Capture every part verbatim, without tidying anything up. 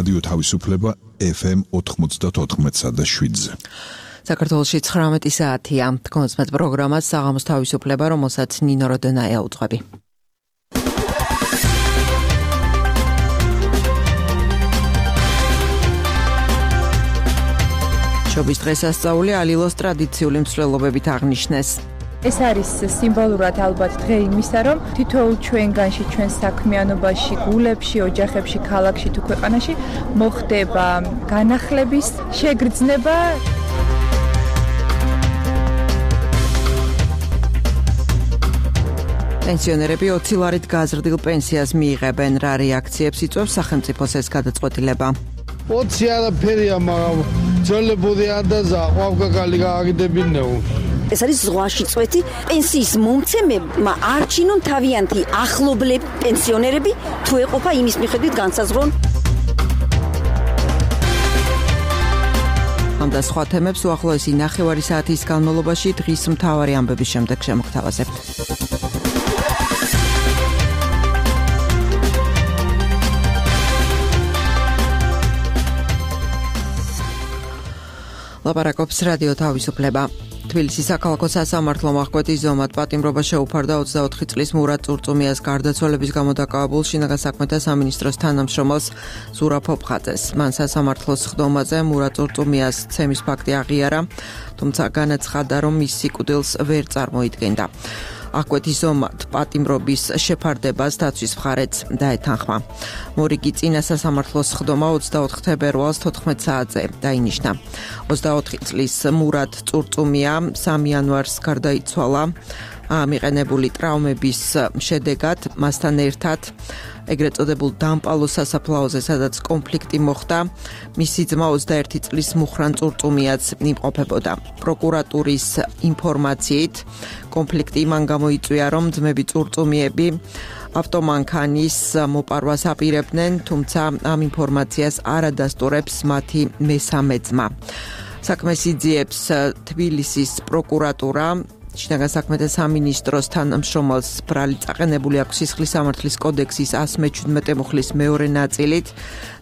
რადიო თავისუფლება ეფ ემ ოთხმოცდათოთხმეტსა და შვიდზე. საქართველოში ცხრამეტი საათია. თქონსმეთ პროგრამას საღამოს თავისუფლება, რომელსაც ნინო როდენაია უძღვები. შობის დღესასწაული ალილოს ტრადიციული მსვლელობებით აღნიშნეს. ეს არის სიმბოლურად ალბათ დღე იმისა, რომ თითოეულ ჩვენგანში, ჩვენ საქმიანობაში, გულებში, ოჯახებში, ქალაქში თუ ქვეყანაში მოხდება განახლების შეგრძნება. პენსიონერები ოცი ლარით გაზრდილ პენსიას მიიღებენ. რა რეაქციებს იწვევს სახელმწიფოს ეს გადაწყვეტილება? ოცი არაფერია, მაგრამ ძოლებური ანდაზა ყვავგაგალი გააგდებინეო. ეს არის ზღვაში წვეთი პენსიის მომცემებმა არჩინონ თავიანთი ახლობლები პენსიონერები თუ ეყოფა იმის მიხედვით განსაზღვრონ. ამ და სხვა თემებს უახლოესი ნახევარი საათის განმავლობაში დღის მთავარი ამბების შემდეგ შემოგთავაზებთ. ლაპარაკობს რადიო თავისუფლება. თბილისის საქალაქო სასამართლომ აღკვეთის ზომად პატიმრობა შეუფარდა ოცდაოთხი წლის მურატ წურწუმიას გარდაცვალების გამო დაკავებულ შინაგან საქმეთა სამინისტროს თანამშრომელს ზურაბ ფოფხაძეს. მან სასამართლოს სხდომაზე მურატ წურწუმიას ცემის ფაქტი აღიარა, თუმცა განაცხადა, რომ მის სიკვდილს ვერ წარმოიდგენდა. აღკვეთის ზომად პატიმრობის შეფარდებას დაცვის მხარეც დაეთანხმა. მორიგი წინა სასამართლოს სხდომა ოცდაოთხ თებერვალს თოთხმეტ საათზე დაინიშნა. ოცდაოთხი წლის მურატ წურწუმია სამი იანვარს გარდაიცვალა მიყენებული ტრაუმების შედეგად, მასთან ერთად ეგრეთ წოდებულ დამპალო სასაფლაოზე, სადაც კონფლიქტი მოხდა, მისი ძმა ოცდაერთი წლის მუხრან წურწუმიაც იმყოფებოდა. პროკურატურის ინფორმაციით, კონფლიქტი მან გამოიწვია, რომ ძმები წურწუმიები ავტომანქანის მოპარვას აპირებდნენ, თუმცა ამ ინფორმაციას არ ადასტურებს მათი მესამე ძმა. საქმეს იძიებს თბილისის პროკურატურა. შინაგან საქმეთა სამინისტროს თანამშრომელს ბრალი წაყენებული აქვს სისხლის სამართლის კოდექსის ასი მეჩვიდმეტე მუხლის მეორე ნაწილით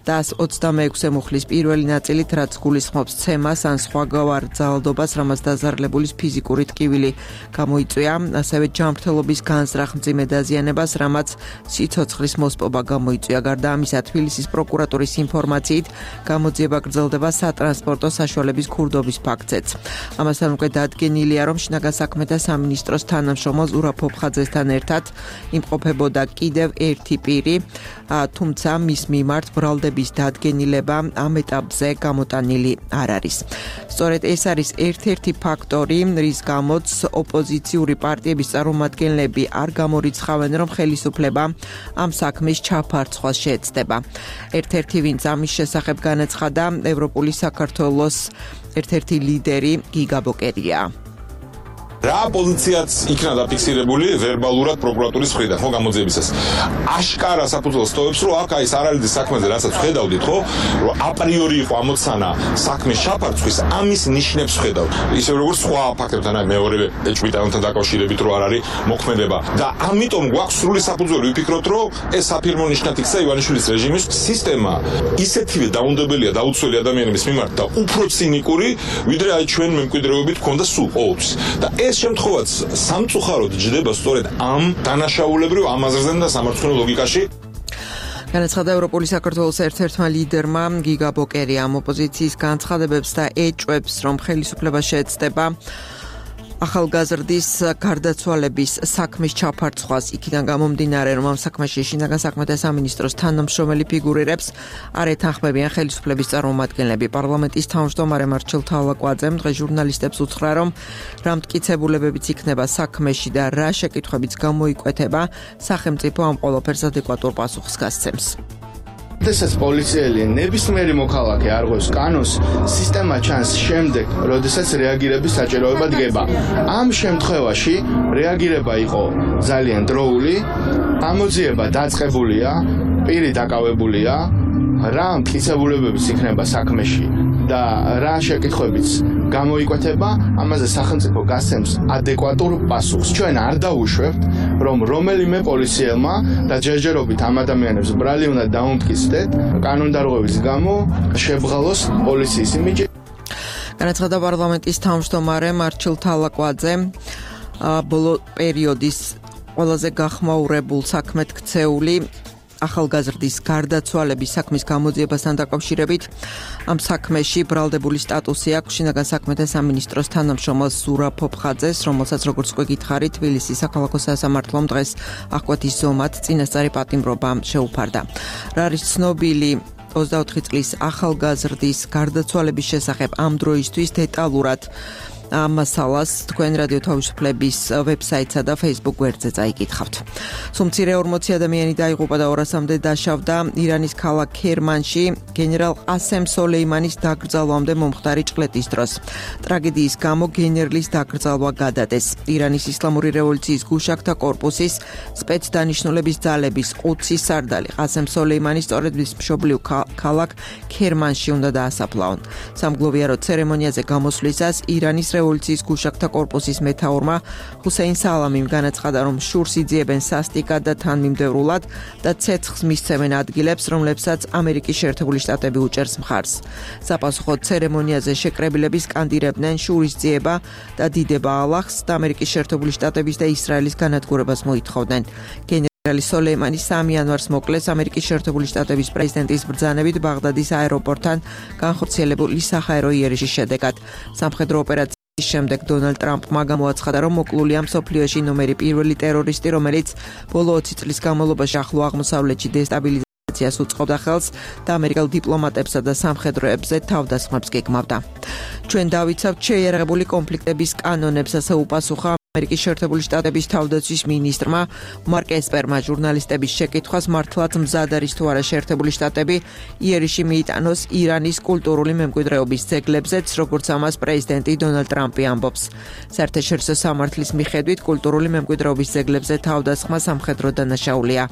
და ასი ოცდამეექვსე მუხლის პირველი ნაწილით, რაც გულისხმობს ცემას ან სხვაგვარ ძალადობას, რამაც დაზარალებულის ფიზიკური ტკივილი გამოიწვია, ასევე ჯანმრთელობის განზრახ მძიმე დაზიანებას, რამაც სიცოცხლის მოსპობა გამოიწვია. გარდა ამისა, თბილისის პროკურატურის ინფორმაციით, გამოძიება გრძელდება სატრანსპორტო საშუალების ქურდობის ფაქტზეც. ამასთან უკვე დადგენილია, რომ შინაგან საქმეთა სამინისტროს თანამშრომელ ზურაბ ფოფხაძესთან ერთად იმყოფებოდა კიდევ ერთი პირი, თუმცა მის მიმართ ბრალდების დადგენილება ამ ეტაპზე გამოტანილი არ არის. სწორედ ეს არის ერთ-ერთი ფაქტორი, რის გამოც ოპოზიციური პარტიების წარმომადგენლები არ გამორიცხავენ, რომ ხელისუფლება ამ საქმის ჩაფარცხვას შეეცდება. ერთ-ერთი, ვინც ამის შესახებ განაცხადა, ევროპული საქართველოს ერთ-ერთი ლიდერი გიგა ბოკერია. რა პოზიციაც იქნა დაფიქსირებული ვერბალურად პროკურატურის მხრიდან, ხო, გამოძიებისას. აშკარა საფუძველს ტოვებს, რომ აქ აი ეს არალიდის საქმეზე, რასაც ხედავდით, ხო, რომ აპრიორი იყო ამოცანა საქმის ჩაფარცხვის, ამის ნიშნებს ხედავთ. ისე როგორც სხვა ფაქტებთან, აი მეორე ეჭვმიტანთან დაკავშირებით, რომ არ არის მოქმედება. და ამიტომ გვაქვს სრული საფუძველი ვიფიქროთ, რომ ეს საფირმო ნიშნად იქცა ივანიშვილის რეჟიმის სისტემა ისეთივე დაუნდებელია დაუცველი ადამიანების მიმართ და უფრო ცინიკური, ვიდრე აი ჩვენ მემკვიდრეობით ქონდა სულ ყოველთვის. და ეს შემთხვევაც სამწუხაროდ ჯდება სწორედ ამ დანაშაულებრივ ამაზრზენ და სამართლიანო ლოგიკაში. განაცხადა ევროპული საქართველოს ერთ-ერთმა ლიდერმა გიგა ბოკერია. ამ ოპოზიციის განცხადებებს და ეჭვებს, რომ ხელისუფლება შეეცდება ახალგაზრდის გარდაცვალების საქმის ჩაფარცხვას, იქიდან გამომდინარე, რომ ამ საქმეში შინაგან საქმეთა სამინისტროს თანამშრომელი ფიგურირებს, არ ეთანხმებიან ხელისუფლების წარმომადგენლები. პარლამენტის თავმჯდომარე მარჩელ თავლაკვაძემ დღეს ჟურნალისტებს უთხრა, რომ რა მტკიცებულებებიც იქნება საქმეში და რა შეკითხვებიც გამოიკვეთება, სახელმწიფო ამ ყველაფერს ადეკვატურ პასუხს გასცემს. როდესაც პოლიციელი ნებისმიერი მოქალაქე არღვევს კანონს, სისტემა ჩანს შემდეგ, როდესაც რეაგირების საჭიროება დგება. ამ შემთხვევაში რეაგირება იყო ძალიან დროული, გამოძიება დაწყებულია, პირი დაკავებულია, რა მტკიცებულებებიც იქნება საქმეში და რა შეკითხვებიც გამოიკვეთება, ამაზე სახელმწიფო გასცემს ადეკვატურ პასუხს. ჩვენ არ დაუშვებთ, რომ რომელიმე პოლიციელმა და ჯერჯერობით ამ ადამიანებს ბრალი უნდა დაუმტკიცდეთ კანონდარღვევის გამო შებრალოს პოლიციის იმიჯი. განაცხადა პარლამენტის თავმჯდომარე მარჩილ თალაკვაძე ბოლო პერიოდის ყველაზე გახმაურებულ საქმედ ქცეული ახალგაზრდის გარდაცვალების საქმის გამოძიებასთან დაკავშირებით ამ საქმეში ბრალდებული სტატუსი აქვს შინაგან საქმეთა სამინისტროს თანამშრომელ ზურაბ ფოფხაძეს, რომელსაც როგორც უკვე გითხარით, თბილისის საქალაქო სასამართლომ დღეს აღკვეთის ზომად წინასწარი პატიმრობა შეუფარდა. რა არის ცნობილი ოცდაოთხი წლის ახალგაზრდის გარდაცვალების შესახებ ამ დროისთვის დეტალურად ამ მასალას თქვენ რადიო თავისუფლების ვებსაიტსა და Facebook გვერდზე წაიკითხავთ. სუმცირე ორმოცი ადამიანი დაიღუპა და ორასამდე დაშავდა ირანის ქალაქ ქერმანში გენერალ ყასემ სოლეიმანის დაკრძალვამდე მომხდარი ჭყლეტის დროს. ტრაგედიის გამო გენერლის დაკრძალვა გადადეს. ირანის ისლამური რევოლუციის გუშაქთა კორპუსის სპეცდანიშნულების ძალების ოცი სარდალი ყასემ სოლეიმანი სწორედ მის მშობლიურ ქალაქ ქერმანში უნდა დაასაფლავონ. სამგლოვიარო ცერემონიაზე გამოსვლისას ირანის რევოლუციის გუშაქთა კორპუსის მეთაურმა ჰუსეინ სალამიმ განაცხადა, რომ შურს იძიებენ სასტიკად და თანმიმდევრულად და ცეცხლს მისცემენ ადგილებს, რომლებსაც ამერიკის შეერთებული შტატები უჭერს მხარს. საპასუხოდ ცერემონიაზე შეკრებილები სკანდირებდნენ შურის ძიება და დიდება ალლაჰს და ამერიკის შეერთებული შტატების და ისრაელის განადგურებას მოითხოვდნენ. გენერალი სოლეიმანი სამი იანვარს მოკლეს ამერიკის შეერთებული შტატების პრეზიდენტის ბრძანებით ბაღდადის აეროპორტთან განხორციელებული საჰაერო იერიში შედეგად. სამხედრო ოპერაცია შემდეგ დონალდ ტრამპმა გამოაცხადა, რომ მოკლულია მსოფლიოში ნომერი პირველი ტერორისტი, რომელიც ბოლო ოცი წლის განმავლობაში ახლო აღმოსავლეთში დესტაბილიზაციას უწყობდა ხელს და ამერიკელ დიპლომატებსა და სამხედროებზე თავდასხმებს გეგმავდა. ჩვენ დავიცავთ შეიარაღებული კონფლიქტების კანონებს, ასე უპასუხა ამერიკის შეერთებული შტატების თავდაცვის მინისტრმა მარკ ესპერმა ჟურნალისტების შეკითხვას, მართლაც მზად არის თუ არა შეერთებული შტატები იერიში მიიტანოს ირანის კულტურული მემკვიდრეობის ძეგლებზეც, როგორც ამას პრეზიდენტი დონალდ ტრამპი ამბობს. საერთაშორისო სამართლის მიხედვით კულტურული მემკვიდრეობის ძეგლებზე თავდასხმა სამხედრო დანაშაულია.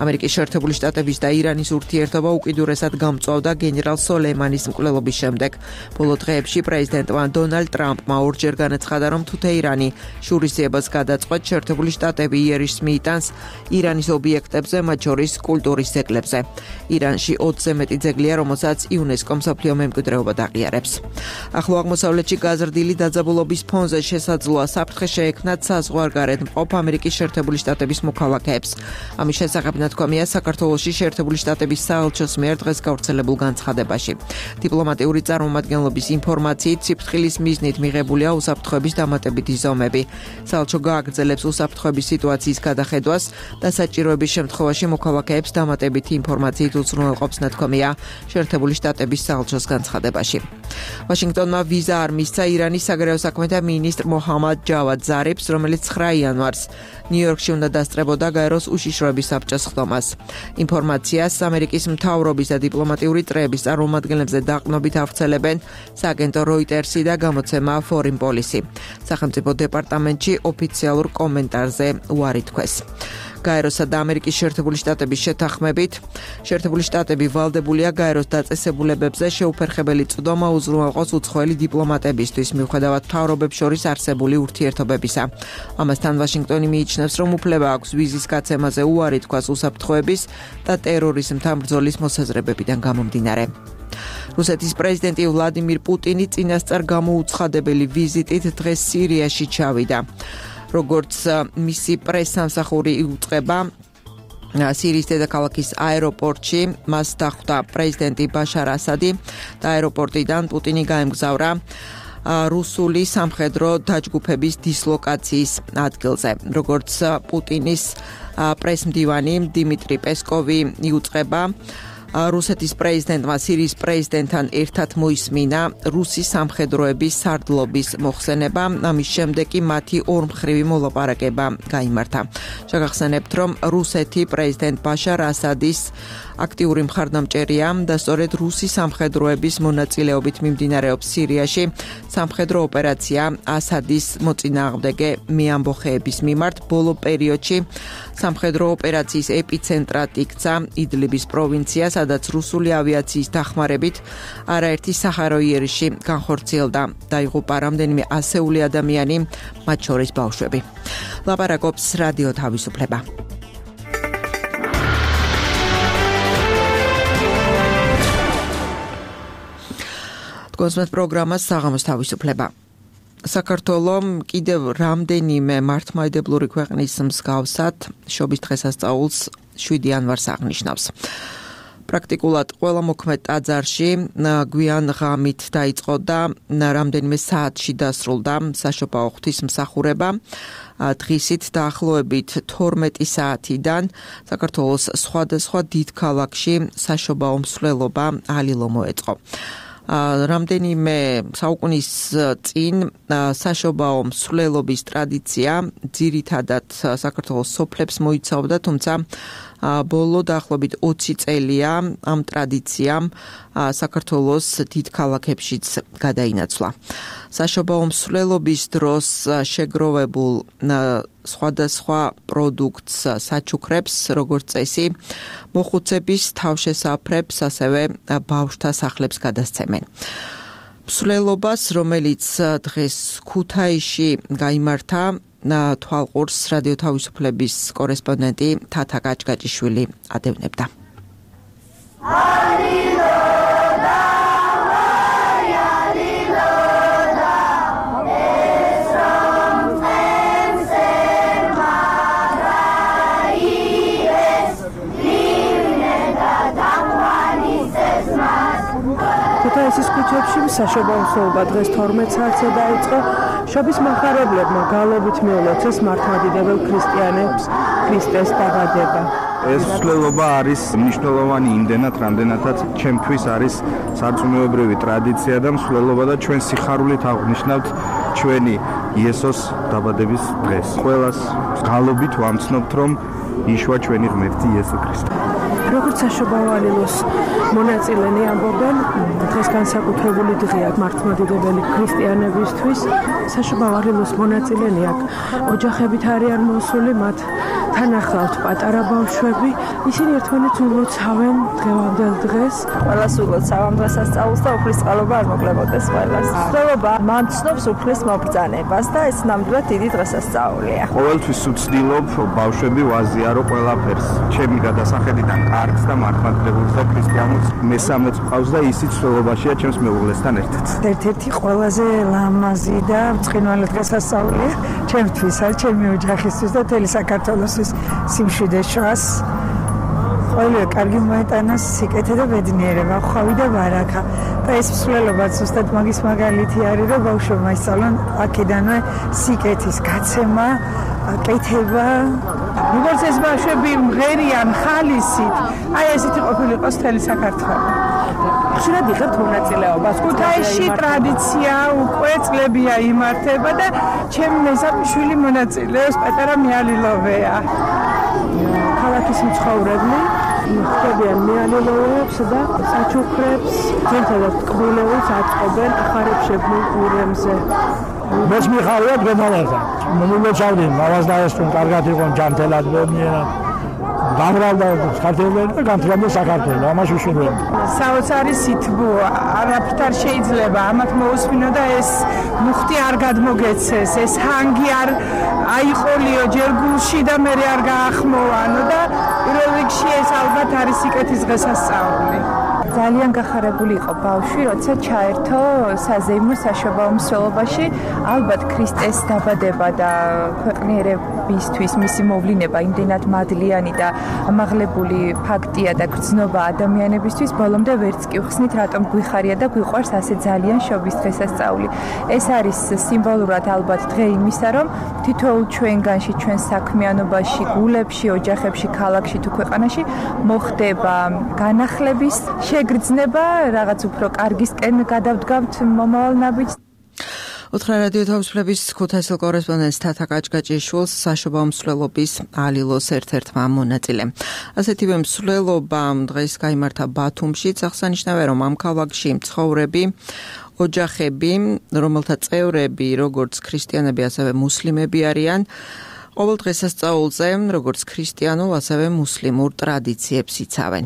ამერიკის შეერთებული შტატების და ირანის ურთიერთობა უკიდურესად გამწვავდა გენერალ სოლეიმანის მკვლელობის შემდეგ. ბოლო დღეებში პრეზიდენტმა დონალდ ტრამპმა ორჯერ განაცხადა, რომ თუ თეირანი შურისძიებას გადაწყვეტ, შეერთებული შტატები იერიშს მიიტანს ირანის ობიექტებზე, მათ შორის კულტურის ძეგლებზე. ირანში ოცზე მეტი ძეგლია, რომელსაც იუნესკო მსოფლიო მემკვიდრეობად აღიარებს. ახლო აღმოსავლეთში გაზრდილი დაძაბულობის ფონზე შესაძლოა საფრთხე შეექმნათ საზღვარგარეთ მყოფ ამერიკის შეერთებული შტატების მოქალაქეებს. ამის შესახებ ნათქვამია საქართველოში შეერთებული შტატების საელჩოს მიერ დღეს გავრცელებულ განცხადებაში. დიპლომატიური წარმომადგენლობის ინფორმაციით სიფრთხილის მიზნით მიღებულია უსაფრთხოების დამატებითი ზომები. საელჩო გააგრძელებს უსაფრთხოების სიტუაციის გადახედვას და საჭიროების შემთხვევაში მოქალაქეებს დამატებითი ინფორმაციით უზრუნველყოფს, ნათქვამია შეერთებული შტატების საელჩოს განცხადებაში. ვაშინგტონმა ვიზა არ მისცა ირანის საგარეო საქმეთა მინისტრ მოჰამად ჯავად ზარიფს, რომელიც ცხრა იანვარს ნიუ-იორკში უნდა დასწრებოდა გაეროს უშიშროების საბჭოს ხდომას. ინფორმაციას ამერიკის მთავრობის და დიპლომატიური წრეების წარმომადგენლებზე დაყრდნობით ავრცელებენ სააგენტო როიტერსი და გამოცემა Foreign Policy. სახელმწიფო დეპარტამენტში ოფიციალურ კომენტარზე უარი თქვეს. გაეროსა და ამერიკის შეერთებული შტატების შეთანხმებით, შეერთებული შტატები ვალდებულია გაეროს დაწესებულებებზე შეუფერხებელი წვდომა უზრუნველყოს უცხოელი დიპლომატებისთვის, მიუხედავად მთავრობებს შორის არსებული ურთიერთობებისა. ამასთან ვაშინგტონი მიიჩნევს, რომ უფლება აქვს ვიზის გაცემაზე უარი თქვას უსაფრთხოების და ტერორიზმთან ბრძოლის მოსაზრებებიდან გამომდინარე. რუსეთის პრეზიდენტი ვლადიმირ პუტინი წინასწარ გამოუცხადებელი ვიზიტით დღეს სირიაში ჩავიდა. როგორც მისი პრესსამსახური იუწყება, სირიის დედაქალაქის აეროპორტში მას დახვდა პრეზიდენტი ბაშარ ასადი და აეროპორტიდან პუტინი გაემგზავრა რუსული სამხედრო დაჯგუფების დისლოკაციის ადგილზე. როგორც პუტინის პრესმდივანი დიმიტრი პესკოვი იუწყება, რუსეთის პრეზიდენტმა სირიის პრეზიდენტთან ერთად მოისმინა რუსი სამხედროების სარდლობის მოხსენება, ამის შემდეგ კი მათი ორმხრივი მოლაპარაკება გაიმართა. შეგახსენებთ, რომ რუსეთი პრეზიდენტ ბაშარ ასადის აქტიური მხარდამჭერია და სწორედ რუსი სამხედროების მონაწილეობით მიმდინარეობს სირიაში სამხედრო ოპერაცია ასადის მოწინააღმდეგე მეამბოხეების მიმართ. ბოლო პერიოდში სამხედრო ოპერაციის ეპიცენტრად იქცა იდლიბის პროვინცია, სადაც რუსული ავიაციის დახმარებით არაერთი სახარო იერიში განხორციელდა. დაიღუპა რამდენიმე ასეული ადამიანი, მათ შორის ბავშვები. ლაპარაკობს რადიო თავისუფლება. კონსმეთ პროგრამას საღამოს თავისუფლება. საქართველოს კიდევ რამდენიმე მართლმადიდებლური ქვეყნის მსგავსად შობის დღესასწაულს შვიდი იანვარს აღნიშნავს. პრაქტიკულად ყველა მოქმედ ტაძარში გვიან ღამით დაიწყო და რამდენიმე საათში დასრულდა საშობაო ღვთისმსახურება. დღისით დაახლოებით თორმეტი საათიდან საქართველოს სხვადასხვა დიდ ქალაქში საშობაო მსვლელობა ალილო მოეწყო. რამდენიმე საუკუნის წინ საშობაო მსვლელობის ტრადიცია ძირითადად საქართველოს სოფლებს მოიცავდა, თუმცა ბოლო დაახლოებით ოცი წელია ამ ტრადიციამ საქართველოს დიდ ქალაქებშიც გადაინაცვლა. საშობაო მსვლელობის დროს შეგროვებულ სხვადასხვა პროდუქტს, საჩუქრებს, როგორც წესი, მოხუცების თავშესაფრებს, ასევე ბავშვთა სახლებს გადასცემენ. მსვლელობას, რომელიც დღეს ქუთაისში გაიმართა, თვალყურს რადიო თავისუფლების კორესპონდენტი თათა გაჭგაჭიშვილი ადევნებდა. ქუთაისის ქუჩებში საშობაო მსვლელობა დღეს თორმეტ საათზე დაიწყო. შობის მომხარებლებმა გალობით მიულოცეს მართლმადიდებელ ქრისტიანებს ქრისტეს დაბადება. ეს მსვლელობა არის მნიშვნელოვანი იმდენად, რამდენადაც ჩემთვის არის სარწმუნოებრივი ტრადიცია და მსვლელობა და ჩვენ სიხარულით აღნიშნავთ ჩვენი იესოს დაბადების დღეს. ყველას გალობით ვამცნობთ, რომ იშვა ჩვენი ღმერთი იესო ქრისტე. როგორც საშობაო ალილოს მონაწილენი ამბობენ, დღეს განსაკუთრებული დღეა მართლმადიდებელი ქრისტიანებისთვის. საშობაო ალილოს მონაწილენი აქ ოჯახებით არიან მოსული, მათ თან ახლავთ პატარა ბავშვები. ისინი ერთმანეთს ულოცავენ დღევანდელ დღეს. ყველას ულოცავ ამ დღესასწაულს და უფლის წყალობა არ მოგლებოდეს ყველას. მსვლელობა მამცნობს უფლის მობრძანებას და ეს ნამდვილად დიდი დღესასწაულია. ყოველთვის ვცდილობ ბავშვები ვაზიარო ყველაფერს. ჩემი გადასახედიდან კარგს და მართლმადიდებელს და ქრისტიანულს მესამეც ყავს და ისიც მსვლელობაშია ჩემს მეუღლესთან ერთად. ერთ-ერთი ყველაზე ლამაზი და ბრწყინვალე დღესასწაულია ჩემთვისა, ჩემი ოჯახისთვის და მთელი საქართველოსთვის სიმშვიდე შვას. ყველია კარგი მოეტანა სიკეთე და ბედნიერება, ხვავი და ბარაკა. და ეს მსვლელობაც ზუსტად მაგის მაგალითი არის, რომ ბავშვებმა ისწავლონ აქედანვე სიკეთის გაცემა, კეთება. როგორც ეს ბავშვები მღერიან ხალისით, აი ესეთი ყოფილიყოს მთელი საქართველო. ხშირად იღებთ მონაწილეობას. ქუთაისში ტრადიცია უკვე წლებია იმართება და ჩემი მეზობელი შვილი მონაწილეობს, პატარა მიალილოვეა. ქალაქის მცხოვრებლები ხდებიან მიალილოვებს და საჩუქრებს, ძირითადად ტკბილეულს აწყობენ ახარებშებულ ურემზე. მეც მიხარია დღემდე. მომილოცავდი მავას და ეს თუ კარგად იყო ჯანმრთელად მენიერად. გამრავლდა საქართველოს და გამრავლდა საქართველოს. ამას ვიშურვებ. საოცარი სითბო არაფრით არ შეიძლება ამათ მოусმინო და ეს მუხტი არ გადმოგეცეს, ეს ჰანგი არ აიყოლიო ჯერ გულში და მე არ გაახმოვანო და პირველ რიგში ეს ალბათ არის სიკეთის დღესასწაული. ძალიან გახარებული იყო ბავშვი, როცა ჩაერთო საზეიმო საშობაო მსვლელობაში. ალბათ ქრისტეს დაბადება და ქვეყნიერებისთვის მისი მოვლინება იმდენად მადლიანი და ამაღლებული ფაქტია და გრძნობა ადამიანებისთვის, ბოლომდე ვერც კი ვხსნით, რატომ გვიხარია და გვიყვარს ასე ძალიან შობის დღესასწაული. ეს არის სიმბოლურად ალბათ დღე იმისა, რომ თითოეულ ჩვენგანში, ჩვენ საქმიანობაში, გულებში, ოჯახებში, ქალაქში თუ ქვეყანაში მოხდება განახლების შეგრძნება, რაღაც უფრო კარგისკენ გადავდგავთ მომავალ ნაბიჯს. უთხრა რადიო თავისუფლების ქუთაისელ კორესპონდენტს თათა გაჭგაჭიშვილს საშობაო მსვლელობის ალილოს ერთ-ერთმა მონაწილემ. ასეთივე მსვლელობა დღეს გაიმართა ბათუმშიც. აღსანიშნავია, რომ ამ ქალაქში მცხოვრები ოჯახები, რომელთა წევრები როგორც ქრისტიანები, ასევე მუსლიმები არიან, ყოველ დღესასწაულზე, როგორც ქრისტიანულ, ასევე მუსლიმურ ტრადიციებს იცავენ.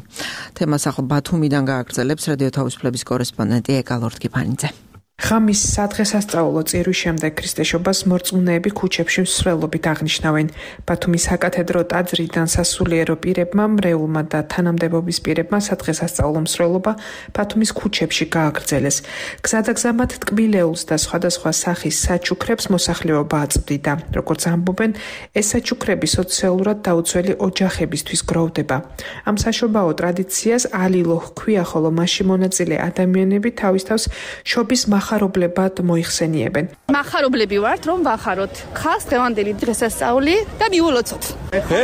თემას ახლა ბათუმიდან გააგრძელებს რადიო თავისუფლების კორესპონდენტი ეკალორდ კიფანიძე. ღამის სადღესასწაულო წირვის შემდეგ ქრისტეშობას მორწმუნეები ქუჩებში მსვლელობით აღნიშნავენ. ბათუმის საკათედრო ტაძრიდან სასულიერო პირებმა, მრეულმა და თანამდებობის პირებმა სადღესასწაულო მსვლელობა ბათუმის ქუჩებში გააგრძელეს. გზადაგზამად ტკბილეულს და სხვადასხვა სახის საჩუქრებს მოსახლეობა აწვდიდა. როგორც ამბობენ, ეს საჩუქრები სოციალურად დაუცველი ოჯახებისთვის გროვდება. ამ საშობაო ტრადიციას ალილო ჰქვია, ხოლო მასში მონაწილე ადამიანები თავის თავს შობის მახარობლებად მოიხსენიებენ. მახარებლები ვართ, რომ ვახაროთ ხალხს დღევანდელი დღესასწაული და მივულოცოთ.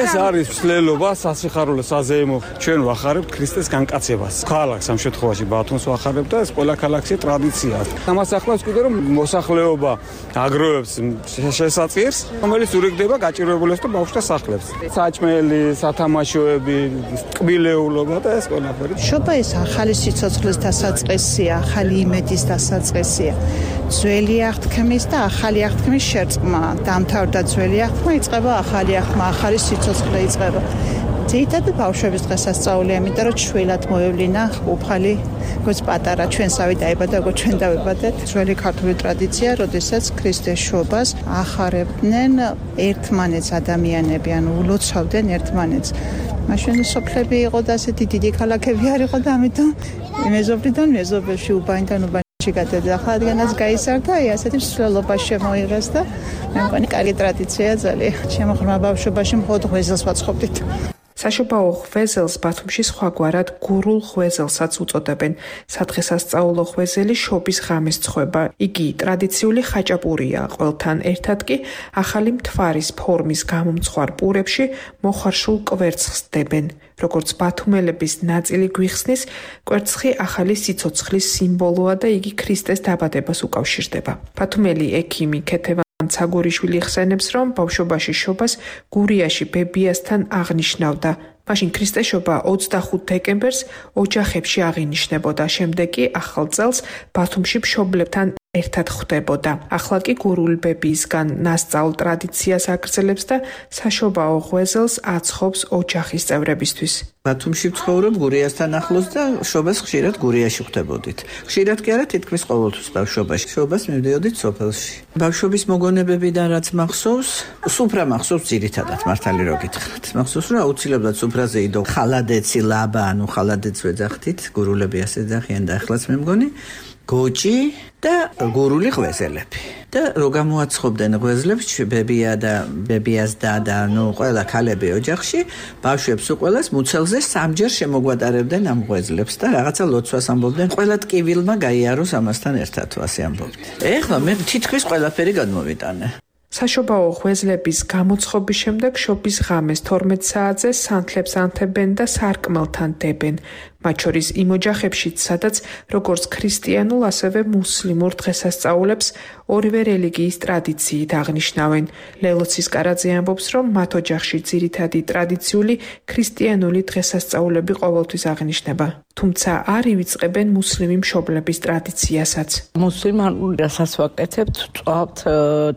ეს არის მსვლელობა, სასიხარულო საზეიმო. ჩვენ ვახარებთ ქრისტეს განკაცებას. ქალაქს ამ შემთხვევაში ბათუმს ვახარებთ და ეს ყველა ქალაქში ტრადიციაა. ამას ახლავს კიდე რომ მოსახლეობა აგროვებს შესაძირს, რომელიც ურიგდება გაჭირვებულებს და ბავშვთა სახლებს. საჭმელი, სათამაშოები, ტკბილეულობა და ეს ყველაფერი. შობა ეს ახალი სიცოცხლის დასაწყისია, ახალი იმედის დასაწყისია. ძველი აღთქმის და ახალი აღთქმის შერწყმა. დამთავრდა ძველი აღთქმა, იწყება ახალი აღთქმა, ახალი სიცოცხლე იწყება. ძირითადად ბავშვების დღესასწაულია, იმიტომ რომ შვილად მოევლინა უფალი, როგორც პატარა ჩვენსავე დაიბადა, როგორც ჩვენ დავიბადეთ. ძველი ქართული ტრადიცია, როდესაც ქრისტეს შობას ახარებდნენ ერთმანეთს ადამიანები, ანუ ულოცავდნენ ერთმანეთს. მაშინ სოფლები იყო და ასეთი დიდი ქალაქები არ იყო და ამიტომ მეზობლიდან მეზობელში უბანიდან უბანში გადადა. ახლა რადგანაც გაიზარდა, აი ასეთი მსვლელობა შემოიღეს და მე მგონი კარგი ტრადიციაა ძალიან. ჩემო ღრმა ბავშვობაში მხოლოდ ღვეზელს ვაწყობდით. საშობაო ღვეზელს ბათუმში სხვაგვარად გურულ ღვეზელსაც უწოდებენ. სადღესასწაულო ღვეზელი შობის ღამეს ცხება. იგი ტრადიციული ხაჭაპურია, ყველთან ერთად კი ახალი მთვარის ფორმის გამომცხვარ პურებში მოხარშულ კვერცხს დებენ. როგორც ბათუმელების ნაწილი გვიხსნის, კვერცხი ახალი სიცოცხლის სიმბოლოა და იგი ქრისტეს დაბადებას უკავშირდება. ბათუმელი ექიმი ქეთევან ცაგურიშვილი ხსენებს, რომ ბავშვობაში შობას გურიაში ბებიასთან აღნიშნავდა. მაშინ ქრისტეშობა ოცდახუთ დეკემბერს ოჯახებში აღინიშნებოდა, შემდეგ კი ახალ წელს ბათუმში მშობლებთან ერთად ხვდებოდა. ახლა კი გურული ბებიისგან ნასწავლ ტრადიციას აგრძელებს და საშობაო ღვეზელს აცხობს ოჯახის წევრებისთვის. ბათუმში ვცხოვრობ გურიასთან ახლოს და შობას ხშირად გურიაში ხვდებოდით. ხშირად კი არა, თითქმის ყოველთვის ბავშვობაში. შობას მივდიოდით სოფელში. ბავშვობის მოგონებებიდან რაც მახსოვს, სუფრა მახსოვს ძირითადად, მართალი რო გითხრათ. მახსოვს, რომ აუცილებლად სუფრაზე იდო ხალადეცი, ლაბა, ანუ ხალადეც ვეძახდით, გურულები ასე ეძახიან და ახლაც მე მგონი. გოჭი და გურული ღვეზელები. და რო გამოაცხობდნენ ღვეზლებს ბებია და ბებიას დადა, ნუ ყველა ქალები ოჯახში, ბავშვებს უყველას მუცელზე სამჯერ შემოგვატარებდნენ ამ ღვეზლებს და რაღაცა ლოცვას ამბობდნენ. ყველა ტკივილმა გაიაროს ამასთან ერთად, ასე ამბობდნენ. ეხლა მე თითქმის ყველაფერი გადმოვიტანე. საშობაო ღვეზლების გამოცხობის შემდეგ შობის ღამეს თორმეტ საათზე სანთლებს ანთებენ და სარკმელთან დებენ. მათ შორის იმ ოჯახებშიც, სადაც როგორც ქრისტიანულ, ასევე მუსლიმურ დღესასწაულებს ორივე რელიგიის ტრადიციით აღნიშნავენ. ლელოცის კარაძე ამბობს, რომ მათ ოჯახში ძირითადი ტრადიციული ქრისტიანული დღესასწაულები ყოველთვის აღინიშნება. თუმცა არ ივიწყებენ მუსლიმი მშობლების ტრადიციასაც. მუსლიმანურ რასაც ვაკეთებთ, წვავთ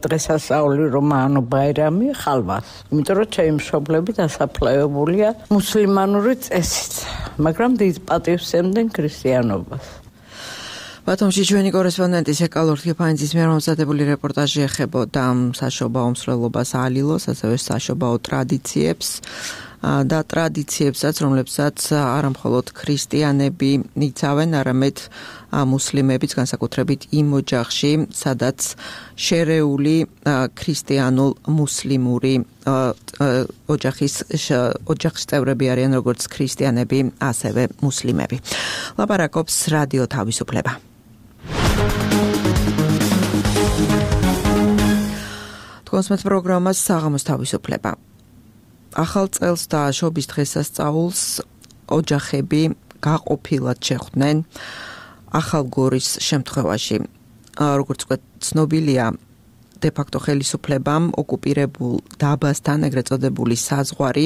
დღესასწაული რომანო ბაირამი ხალვას. იმიტომ რომ ჩემი მშობლები დასაფლავებულია მუსლიმანური წესით, მაგრამ დიდ პატივს ემდნენ ქრისტიანობას. ბათუმში ჩვენი კორესპონდენტის ეკალორდ კიფანიძის მიერ მომზადებული რეპორტაჟი ეხებოდა საშობაო მსვლელობას ალილოს, ასევე საშობაო ტრადიციებს და ტრადიციებსაც, რომლებსაც არა მხოლოდ ქრისტიანები იცავენ, არამედ მუსლიმებიც, განსაკუთრებით იმ ოჯახში, სადაც შერეული ქრისტიანულ-მუსლიმური ოჯახის ოჯახის წევრები არიან, როგორც ქრისტიანები, ასევე მუსლიმები. ლაპარაკობს რადიო თავისუფლება. თქვენს პროგრამას საღამოს თავისუფლება. ახალ წელს და შობის დღესასწაულს ოჯახები გაყოფილად შეხვდნენ ახალგორის შემთხვევაში. როგორც ვთქვათ, ცნობილია დე-ფაქტო ხელისუფლებამ ოკუპირებულ დაბასთან, ეგრეთ წოდებული საზღვარი,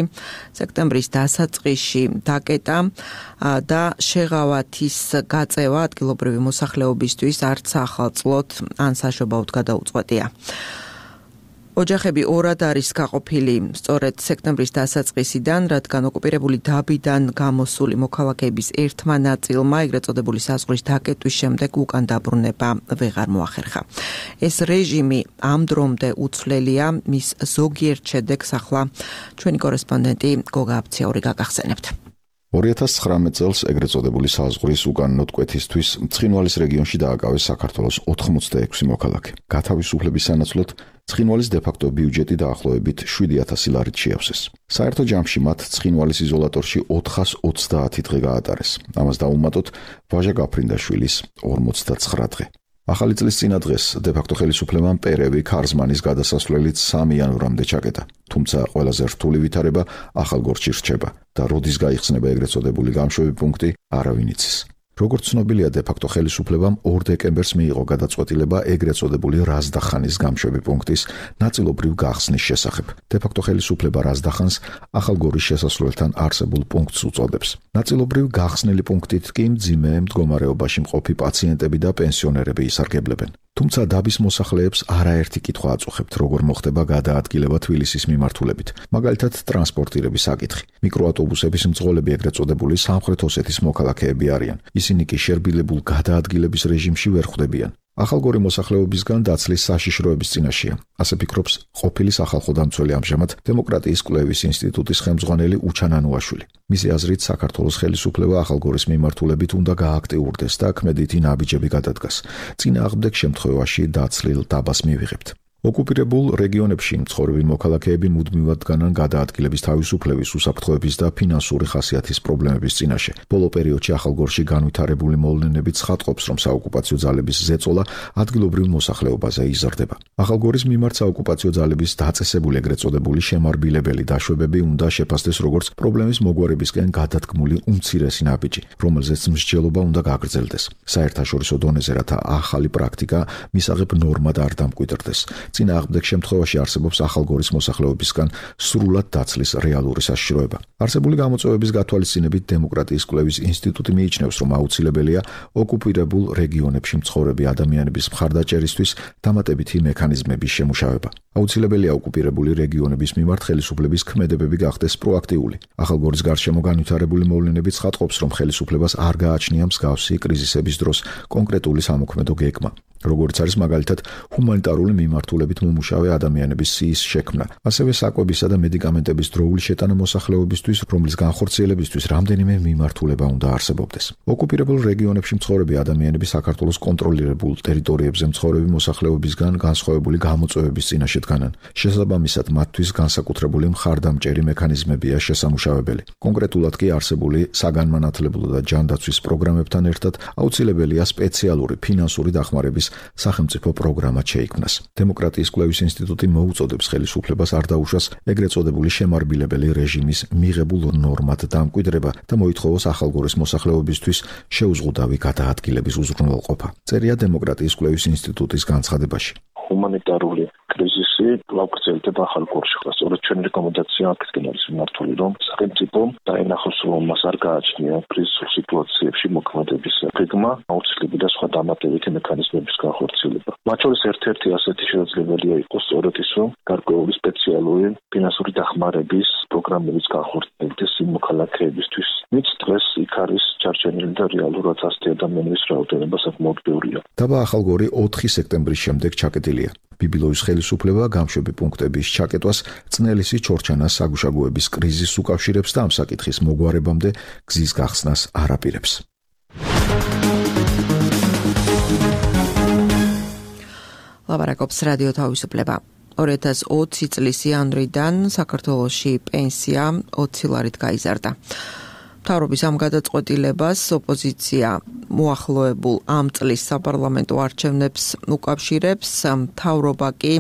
სექტემბრის დასაწყისში დაკეტა და შეღავათის გაწევა ადგილობრივი მოსახლეობისთვის არც ახალწლოდ ან საშობაოდ გადაუწყვეტია. ოჯახები ორად არის გაყოფილი სწორედ სექტემბრის დასაწყისიდან, რადგან ოკუპირებული დაბიდან გამოსული მოქალაქეების ერთმა ნაწილმა ეგრეთ წოდებული საზღვრის დაკეტვის შემდეგ უკან დაბრუნება ვეღარ მოახერხა. ეს რეჟიმი ამ დრომდე უცვლელია, მის ზოგიერთ შედეგს ახლა ჩვენი კორესპონდენტი გოგა აბციაური გაგახსენებთ. ორი ათას ცხრამეტ წელს ეგრეთ წოდებული საზღვრის უკანონო კვეთისთვის ცხინვალის რეგიონში დააკავეს საქართველოს ოთხმოცდაექვსი მოქალაქე. გათავისუფლების სანაცვლოდ ცხინვალის დე-ფაქტო ბიუჯეტი დაახლოებით შვიდი ათასი ლარით შეავსეს. საერთო ჯამში მათ ცხინვალის იზოლატორში ოთხას ოცდაათი დღე გაატარეს. ამას დაუმატოთ ვაჟა გაფრინდაშვილის ორმოცდაცხრა დღე. ახალი წლის წინა დღეს დე-ფაქტო ხელისუფლებამ პერევი ქარზმანის გადასასვლელით სამი იანვრამდე ჩაკეტა. თუმცა ყველაზე რთული ვითარება ახალგორჯში რჩება და როდის გაიხსნება ეგრეთ წოდებული გამშვები პუნქტი, არავინ იცის. როგორც ცნობილია, დე-ფაქტო ხელისუფლებამ ორ დეკემბერს მიიღო გადაწყვეტილება ეგრეთ წოდებული რაზდახანის გამშვები პუნქტის ნაწილობრივ გახსნის შესახებ. დე-ფაქტო ხელისუფლება რაზდახანს ახალგორის შესასვლელთან არსებულ პუნქტს უწოდებს. ნაწილობრივ გახსნილი პუნქტით კი მძიმე მდგომარეობაში მყოფი პაციენტები და პენსიონერები ისარგებლებენ. თუმცა დაბის მოსახლეებს არაერთი კითხვა აწუხებთ, როგორ მოხდება გადაადგილება თბილისის მიმართულებით. მაგალითად, ტრანსპორტირების საკითხი. მიკროავტობუსების მძღოლები ეგრეთ წოდებული სამხრეთ ოსეთის მოქალაქეები არიან. ისინი კი შერბილებულ გადაადგილების რეჟიმში ვერ ხვდებიან. ახალგორი მოსახლეობისგან დაცლის საშიშროების წინაშეა. ასე ფიქრობს ყოფილი სახალხო დამცველი ამჟამად დემოკრატიის კვლევის ინსტიტუტის ხელმძღვანელი უჩან ანუაშვილი. მისი აზრით, საქართველოს ხელისუფლება ახალგორის მიმართულებით უნდა გააქტიურდეს და ქმედითი ნაბიჯები გადადგას. წინააღმდეგ შემთხვევაში დაცლილ დაბას მივიღებთ. ოკუპირებულ რეგიონებში მცხოვრები მოქალაქეები მუდმივად დგანან გადაადგილების თავისუფლების, უსაფრთხოების და ფინანსური ხასიათის პრობლემების წინაშე. ბოლო პერიოდში ახალგორში განვითარებული მოვლენები ცხადყოფს, რომ საოკუპაციო ძალების ზეწოლა ადგილობრივ მოსახლეობაზე იზრდება. ახალგორის მიმართ საოკუპაციო ძალების დაწესებული ეგრეთ წოდებული შემარბილებელი დაშვებები უნდა შეფასდეს როგორც პრობლემის მოგვარებისკენ გადადგმული უმცირესი ნაბიჯი, რომელზეც მსჯელობა უნდა გაგრძელდეს. საერთაშორისო დონეზე, რათა ახალი პრაქტიკა მისაღებ ნორმად არ დამკვიდრდეს. წინააღმდეგ შემთხვევაში არსებობს ახალგორის მოსახლეობისგან სრულად დაცლის რეალური საშიშროება. არსებული გამოწვევების გათვალისწინებით დემოკრატიის კვლევის ინსტიტუტი მიიჩნევს, რომ აუცილებელია ოკუპირებულ რეგიონებში მცხოვრები ადამიანების მხარდაჭერისთვის დამატებითი მექანიზმების შემუშავება. აუცილებელია ოკუპირებული რეგიონების მიმართ ხელისუფლების ქმედებები გახდეს პროაქტიული. ახალგორის გარშემო განვითარებული მოვლენები ცხადყოფს, რომ ხელისუფლებას არ გააჩნია მსგავსი კრიზისების დროს კონკრეტული სამოქმედო გეგმა. როგორც არის მაგალითად ჰუმანიტარული მიმართულებით მომუშავე ადამიანების სიის შექმნა, ასევე საკვებისა და მედიკამენტების დროული შეტანა მოსახლეობისთვის, რომლის განხორციელებისთვის რამდენიმე მიმართულება უნდა არსებობდეს. ოკუპირებულ რეგიონებში მცხოვრები ადამიანები საქართველოს კონტროლირებულ ტერიტორიებზე მცხოვრები მოსახლეობისგან განსხვავებული გამოწვევების წინაშე დგანან. შესაბამისად, მათთვის განსაკუთრებული მხარდამჭერი მექანიზმებია შესამუშავებელი. კონკრეტულად კი არსებული საგანმანათლებლო და ჯანდაცვის პროგრამებთან ერთად აუცილებელია სპეციალური ფინანსური დახმარების სახელმწიფო პროგრამა შეიქმნას. დემოკრატიის კვლევის ინსტიტუტი მოუწოდებს ხელისუფლებას არ დაუშვას ეგრეთ წოდებული შემარბილებელი რეჟიმის მიღებულ ნორმად დამკვიდრება და მოითხოვოს ახალგორის მოსახლეობისთვის შეუზღუდავი გადაადგილების უზრუნველყოფა. წერია დემოკრატიის კვლევის ინსტიტუტის განცხადებაში. ჰუმანიტარული კრიზისი კვლავ გრძელდება ახალგორში. სწორედ ჩვენი რეკომენდაცია აქეთკენ არის მიმართული, რომ სახელმწიფო დაინახოს, რომ მას არ გააჩნია კრიზისულ სიტუაციებში მოქმედების გეგმა, აუცილებელი და სხვა დამატებითი მექანიზმების განხორციელება. მათ შორის ერთ-ერთი ასეთი შესაძლებელია იყოს სწორედ ის, რომ გარკვეული სპეციალური ფინანსური დახმარების პროგრამების განხორციელდეს იმ მოქალაქეებისთვის, ვინც დღეს იქ არის ჩარჩენილი და რეალურად ასეთი ადამიანების რაოდენობა საკმაოდ ბევრია. დაბა ახალგორი ოთხი სექტემბრის შემდეგ ჩაკეტილია. ბიბილოვის ხელისუფლება გამშვები პუნქტების ჩაკეტვას წნელისი ჩორჩანას საგუშაგოების კრიზისს უკავშირებს და ამ საკითხის მოგვარებამდე გზის გახსნას არ აპირებს. ლაპარაკობს რადიო თავისუფლება. ორი ათას ოცი წლის იანვრიდან საქართველოში პენსია ოცი ლარით გაიზარდა. მთავრობის ამ გადაწყვეტილებას ოპოზიცია მოახლოებულ ამ წლის საპარლამენტო არჩევნებს უკავშირებს, მთავრობა კი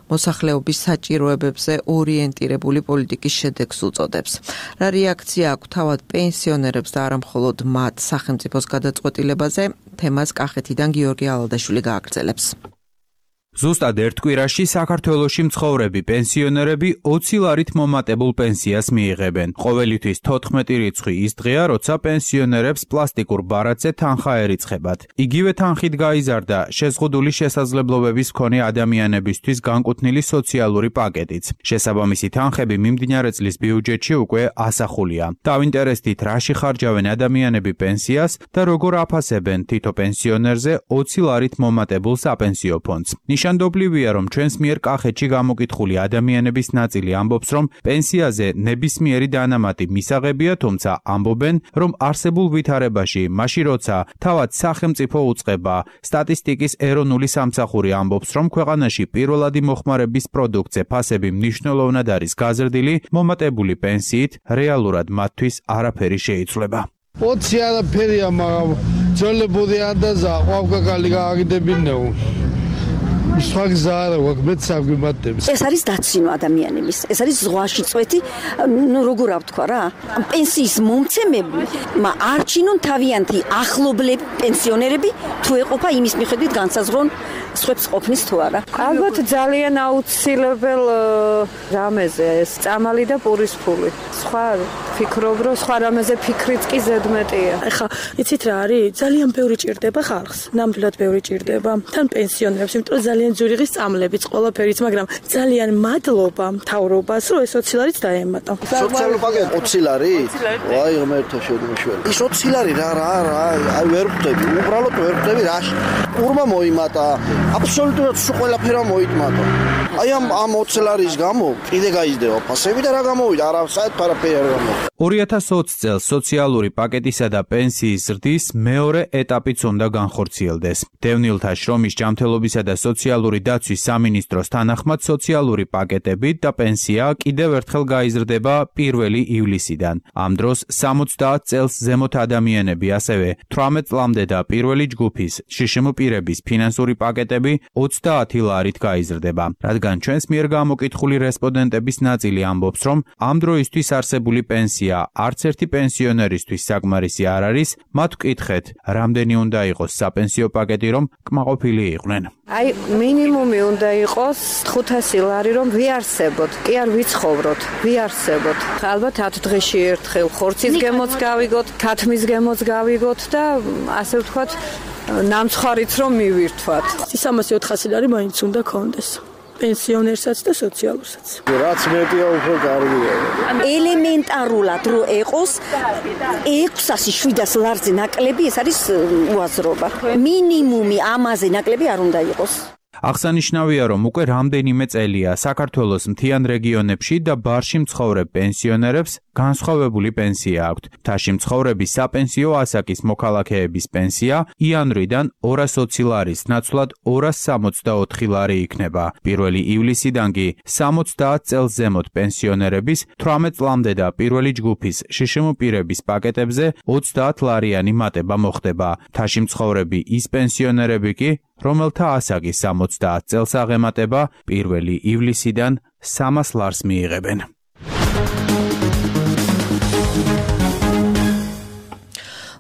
მოსახლეობის საჭიროებებზე ორიენტირებული პოლიტიკის შედეგს უწოდებს. რა რეაქცია აქვს თავად პენსიონერებს და არა მხოლოდ მათ სახელმწიფოს გადაწყვეტილებაზე, თემას კახეთიდან გიორგი ალადაშვილი გააგრძელებს. ზუსტად ერთ კვირაში საქართველოში მცხოვრები პენსიონერები ოცი ლარით მომატებულ პენსიას მიიღებენ. ყოველთვის თოთხმეტი რიცხვი ის დღეა, როცა პენსიონერებს პლასტიკურ ბარათზე თანხა ერიცხებათ. იგივე თანხით გაიზარდა შეზღუდული შესაძლებლობების მქონე ადამიანებისთვის განკუთვნილი სოციალური პაკეტიც. შესაბამისი თანხები მიმდინარე წლის ბიუჯეტში უკვე ასახულია. დავინტერესდით, რაში ხარჯავენ ადამიანები პენსიას და როგორ აფასებენ თითო პენსიონერზე ოცი ლარით მომატებულ საპენსიო ფონდს. ნიშანდობლივია, რომ ჩვენს მიერ კახეთში გამოკითხული ადამიანების ნაწილი ამბობს, რომ პენსიაზე ნებისმიერი დანამატი მისაღებია, თუმცა ამბობენ, რომ არსებულ ვითარებაში, მაშინ როცა თავად სახელმწიფო უწყება, სტატისტიკის ეროვნული სამსახური ამბობს, რომ ქვეყანაში პირველადი მოხმარების პროდუქტზე ფასები მნიშვნელოვნად არის გაზრდილი, მომატებული პენსიით რეალურად მათთვის არაფერი შეიცვლება. ოცი არაფერია, მაგრამ ძოლებური ანდაზა ყვავკაკალი გააგდებინეო. ეს არის დაცინო ადამიანების, ეს არის ზღვაში წვეთი, ნუ როგორ ვთქვა რა, პენსიის მომცემებმა არჩინონ თავიანთი ახლობლები პენსიონერები თუ ეყოფა იმის მიხედვით განსაზღვრონ სხვებს ყოფნის თუ არა. ალბათ ძალიან აუცილებელ რამეზე ეს წამალი და პურის ფული. სხვა ფიქრობ, რომ სხვა რამეზე ფიქრიც კი ზედმეტია. ეხლა იცით რა არის? ძალიან ბევრი ჭირდება ხალხს, ნამდვილად ბევრი ჭირდება. თან პენსიონერებს, იმიტომ რომ ძალიან ძვირი ღის წამლებიც ყველაფერიც, მაგრამ ძალიან მადლობა მთავრობას, რომ ეს ოცი ლარიც დაემატა. სოციალური პაკეტი ოცი ლარი? ვაი, ღმერთო შედმოშველი. ის ოცი ლარი რა რა რა, აი ვერ ხვდები, უბრალოდ ვერ ხვდები რაში. ურმა მოიმატა, აბსოლუტურად სულ ყველაფერა მოიტმატა. აი ამ ამ ოცი ლარის გამო კიდე გაიზრდება ფასები და რა გამოვიდა? არა, საერთოდ არაფერი არ გამოვიდა. ორი ათას ოცი წელს სოციალური პაკეტისა და პენსიის ზრდის მეორე ეტაპიც უნდა განხორციელდეს. დევნილთა შრომის ჯანმრთელობისა და სოციალური დაცვის სამინისტროს თანახმად სოციალური პაკეტები და პენსია კიდევ ერთხელ გაიზრდება პირველი ივლისიდან. ამ დროს სამოცდაათ წელს ზემოთ ადამიანები, ასევე თვრამეტ წლამდე და პირველი ჯგუფის შშმ პირების ფინანსური პაკეტები ოცდაათი ლარით გაიზრდება. რადგან ჩვენს მიერ გამოკითხული რესპონდენტების ნაწილი ამბობს, რომ ამ დროისთვის არსებული პენსია არც ერთი პენსიონერისთვის საკმარისი არ არის, მათ ვკითხეთ, რამდენი უნდა იყოს საპენსიო პაკეტი, რომ კმაყოფილი იყვნენ. აი მინიმუმი უნდა იყოს ხუთასი ლარი, რომ ვიარსებოთ, კი არ ვიცხოვროთ, ვიარსებოთ. ალბათ ათ დღეში ერთხელ ხორცის გემოც გავიგოთ, ქათმის გემოც გავიგოთ და ასე ვთქვათ, ნამცხვარიც რომ მივირთვათ. სამასი ოთხასი ლარი მაინც უნდა კონდეს. პენსიონერსაც და სოციალურსაც. რაც მეტია უფრო კარგია. ელემენტარულად რო ეყოს ექვსასი შვიდას ლარზე ნაკლები, ეს არის უაზრობა. მინიმუმი ამაზე ნაკლები არ უნდა იყოს. აღსანიშნავია, რომ უკვე რამდენიმე წელია საქართველოს მთიან რეგიონებში და ბარში მცხოვრებ პენსიონერებს განსხვავებული პენსია აქვთ. მთაში მცხოვრების საპენსიო ასაკის მოქალაქეების პენსია იანვრიდან ორას ოცი ლარის ნაცვლად ორას სამოცდაოთხი ლარი იქნება. პირველი ივლისიდან კი სამოცდაათ წელს ზემოთ პენსიონერების თვრამეტ წლამდე და პირველი ჯგუფის შშმ პირების პაკეტებზე ოცდაათ ლარიანი მატება მოხდება. მთაში მცხოვრები ის პენსიონერები კი, რომელთა ასაკი სამოცდაათ წელს აღემატება, პირველი ივლისიდან სამას ლარს მიიღებენ.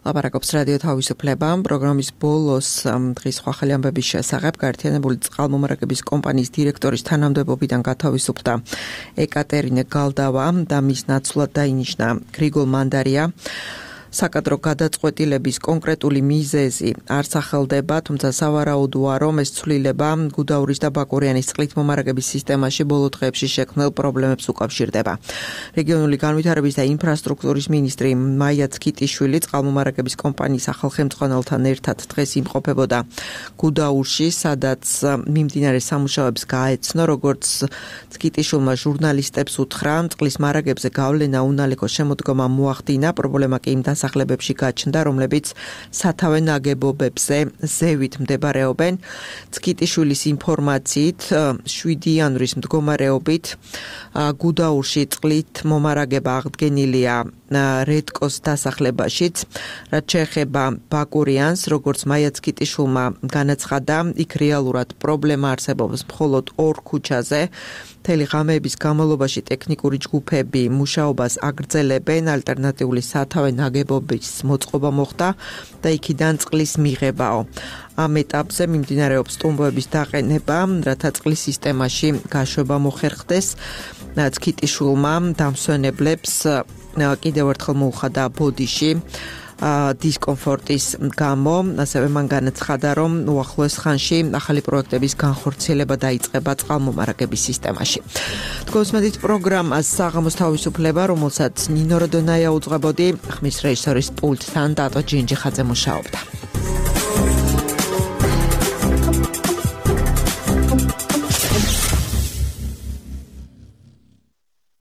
ლაპარაკობს რადიო თავისუფლება. პროგრამის ბოლოს დღის სხვა ხელი ამბების შესახებ გაერთიანებული წყალმომარაგების კომპანიის დირექტორის თანამდებობიდან გათავისუფლდა ეკატერინე გალდავა და მის ნაცვლად დაინიშნა გრიგოლ მანდარია. საკადრო გადაწყვეტილების კონკრეტული მიზეზი არ სახელდება, თუმცა სავარაუდოა, რომ ეს ცვლილება გუდაურის და ბაკურიანის წყლით მომარაგების სისტემაში ბოლო დღეებში შექმნილ პრობლემებს უკავშირდება. რეგიონული განვითარების და ინფრასტრუქტურის მინისტრი მაია ცკიტიშვილი წყალმომარაგების კომპანიის ახალხემწყონელთან ერთად დღეს იმყოფებოდა გუდაურში, სადაც მიმდინარე სამუშაოებს გაეცნო, როგორც ცკიტიშვილმა ჟურნალისტებს უთხრა, წყლის მარაგებზე გავლენა უნალეკო შემოდგომა მოახდინა, პრობლემა კი იმ დასახლებებში გაჩნდა, რომლებიც სათავე ნაგებობებზე ზევით მდებარეობენ. ცკიტიშვილის ინფორმაციით შვიდი იანვრის მდგომარეობით გუდაურში წყლით მომარაგება აღდგენილია რედკოს დასახლებაშიც. რაც შეეხება ბაკურიანს, როგორც მაიაც კიტიშვილმა განაცხადა, იქ რეალურად პრობლემა არსებობს მხოლოდ ორ ქუჩაზე. მთელი ღამეების განმავლობაში ტექნიკური ჯგუფები მუშაობას აგრძელებენ, ალტერნატიული სათავე ნაგებობის მოწყობა მოხდა და იქიდან წყლის მიღებაო. ამ ეტაპზე მიმდინარეობს ტუმბოების დაყენება, რათა წყლის სისტემაში გაშვება მოხერხდეს. კიტიშვილმა დამსვენებლებს კიდევ ერთხელ მოუხადა ბოდიში დისკომფორტის გამო, ასევე მან განაცხადა, რომ უახლოეს ხანში ახალი პროექტების განხორციელება დაიწყება წყალმომარაგების სისტემაში. თქვენს პროგრამას საღამოს თავისუფლება, რომელსაც ნინო როდონაია უძღვებოდი, ხმის რეჟისორის პულტთან დატო ჯინჯიხაძე მუშაობდა.